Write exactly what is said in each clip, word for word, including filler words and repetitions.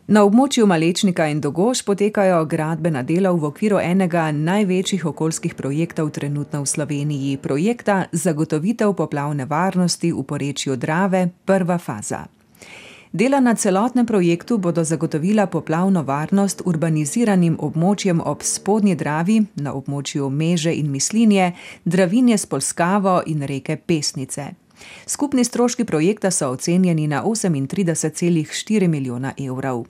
Na območju Malečnika in Dogoš potekajo gradbena dela v okviru enega največjih okoljskih projektov trenutno v Sloveniji, projekta Zagotovitev poplavne varnosti v porečju Drave, prva faza. Dela na celotnem projektu bodo zagotovila poplavno varnost urbaniziranim območjem ob spodnji Dravi, na območju Meže in Mislinje, Dravinje s Polskavo in reke Pesnice. Skupni stroški projekta so ocenjeni na osemintrideset celih štiri milijona evrov.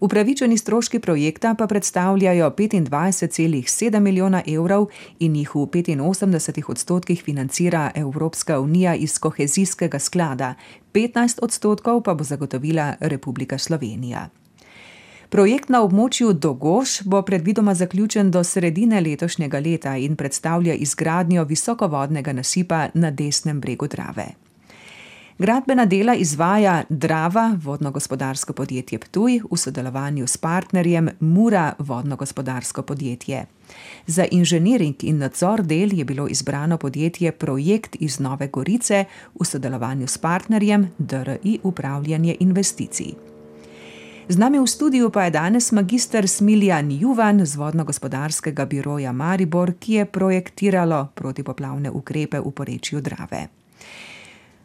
Upravičeni stroški projekta pa predstavljajo petindvajset celih sedem milijona evrov in jih v petinosemdesetih odstotkih financira Evropska unija iz kohezijskega sklada, petnajst odstotkov pa bo zagotovila Republika Slovenija. Projekt na območju Dogoš bo predvidoma zaključen do sredine letošnjega leta in predstavlja izgradnjo visokovodnega nasipa na desnem bregu Drave. Gradbena dela izvaja Drava, vodno-gospodarsko podjetje Ptuj, v sodelovanju s partnerjem Mura, vodno-gospodarsko podjetje. Za inženiring in nadzor del je bilo izbrano podjetje Projekt iz Nove Gorice v sodelovanju s partnerjem D R I Upravljanje investicij. Z nami v studiu pa je danes magister Smiljan Juvan z vodno-gospodarskega biroja Maribor, ki je projektiralo protipoplavne ukrepe v porečju Drave.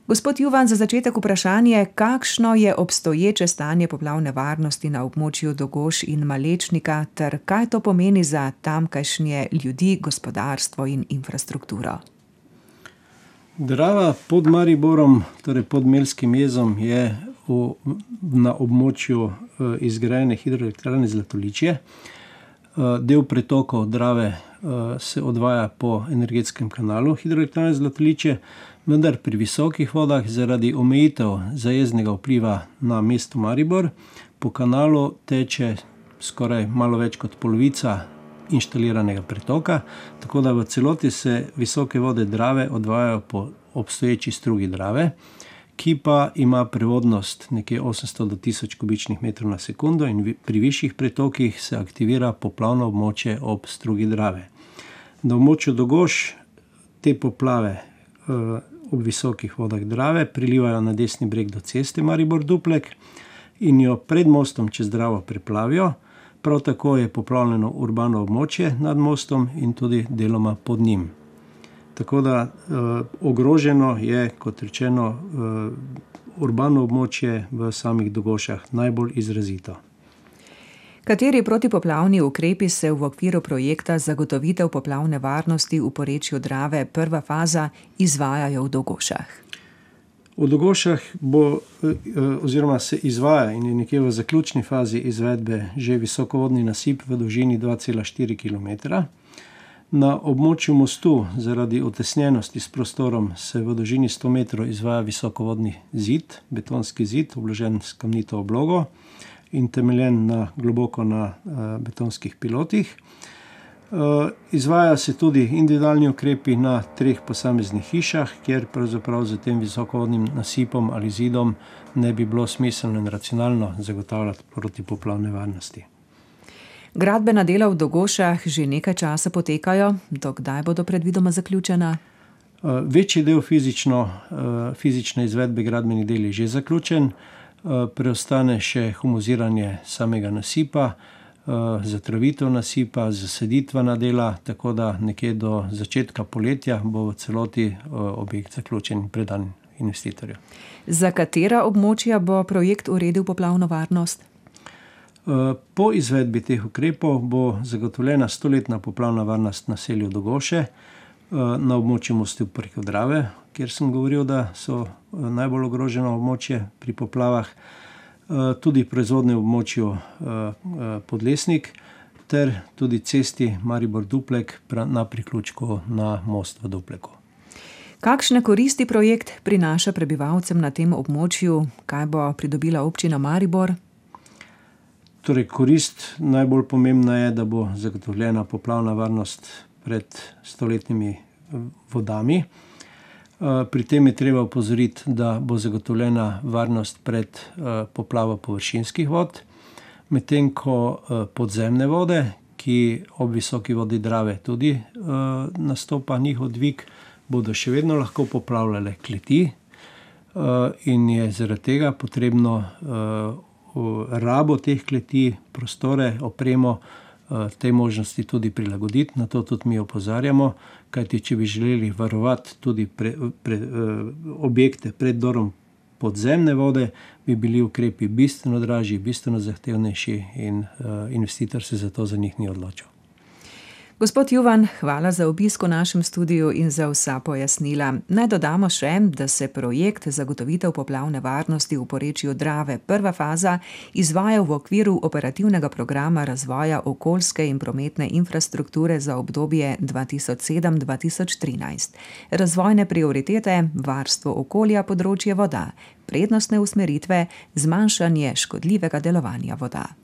Gospod Juvan, za začetek vprašanje, kakšno je obstoječe stanje poplavne varnosti na območju Dogoš in Malečnika ter kaj to pomeni za tamkajšnje ljudi, gospodarstvo in infrastrukturo? Drava pod Mariborom, torej pod Melskim jezom, je v, na območju izgrajene hidroelektrarne Zlatoličje. Del pretokov Drave se odvaja po energetskem kanalu hidroelektrarne Zlatoličje, vendar pri visokih vodah zaradi omejitev zajezdnega vpliva na mesto Maribor po kanalu teče skoraj malo več kot polovica inštaliranega pretoka, tako da v celoti se visoke vode Drave odvajajo po obstoječi strugi Drave, ki pa ima prevodnost nekje osemsto do tisoč kubičnih metrov na sekundo in pri višjih pretokih se aktivira poplavno območje ob strugi Drave. Na območju Dogoš te poplave ob visokih vodah Drave prilivajo na desni breg do ceste Maribor-Duplek in jo pred mostom čez Dravo preplavijo. Prav tako je poplavljeno urbano območje nad mostom in tudi deloma pod njim. Tako da eh, ogroženo je, kot rečeno, eh, urbano območje v samih Dogošah najbolj izrazito. Kateri protipoplavni ukrepi se v okviru projekta Zagotovitev poplavne varnosti v porečju Drave, prva faza, izvajajo v Dogošah? V Dogošah bo, oziroma se izvaja in je nekje v zaključni fazi izvedbe že visokovodni nasip v dolžini dva cela štiri kilometra. Na območju mostu zaradi utesnjenosti s prostorom se v dolžini sto metrov izvaja visokovodni zid, betonski zid, obložen s kamnito oblogo in temeljen na, globoko na betonskih pilotih. Izvaja se tudi individualni ukrepi na treh posameznih hišah, kjer pravzaprav z tem visokovodnim nasipom ali zidom ne bi bilo smiselno in racionalno zagotavljati protipoplavne varnosti. Gradbena dela v Dogošah že nekaj časa potekajo, do kdaj bodo predvidoma zaključena? Večji del fizično, fizične izvedbe gradbenih del je že zaključen, preostane še humuziranje samega nasipa, zatravitev nasipa, zaseditvena dela, tako da nekje do začetka poletja bo v celoti objekt zaključen in predan investitorju. Za katera območja bo projekt uredil poplavno varnost? Po izvedbi teh ukrepov bo zagotovljena stoletna poplavna varnost naselju Dogoše na območju mostu preko Drave, kjer sem govoril, da so najbolj ogroženo območje pri poplavah, tudi proizvodne območju Podlesnik ter tudi cesti Maribor-Duplek na priključku na most v Dupleku. Kakšne koristi projekt prinaša prebivalcem na tem območju? Kaj bo pridobila občina Maribor? Torej, korist najbolj pomembna je, da bo zagotovljena poplavna varnost pred stoletnimi vodami. Pri tem je treba opozoriti, da bo zagotovljena varnost pred poplavo površinskih vod, medtem ko podzemne vode, ki ob visoki vodi Drave tudi nastopa njihov dvig, bodo še vedno lahko poplavljale kleti in je zaradi tega potrebno rabo teh kleti, prostore, opremo, te možnosti tudi prilagoditi. Na to tudi mi opozarjamo, kajti če bi želeli varovati tudi pre, pre, objekte pred vdorom podzemne vode, bi bili ukrepi bistveno dražji, bistveno zahtevnejši in investitor se zato za njih ni odločil. Gospod Juvan, hvala za obisk v našem studiu in za vsa pojasnila. Naj dodamo še, da se projekt zagotovitev poplavne varnosti v porečju Drave prva faza izvaja v okviru operativnega programa razvoja okoljske in prometne infrastrukture za obdobje dva tisoč sedem do dva tisoč trinajst. Razvojne prioritete, varstvo okolja, področje voda, prednostne usmeritve, zmanjšanje škodljivega delovanja voda.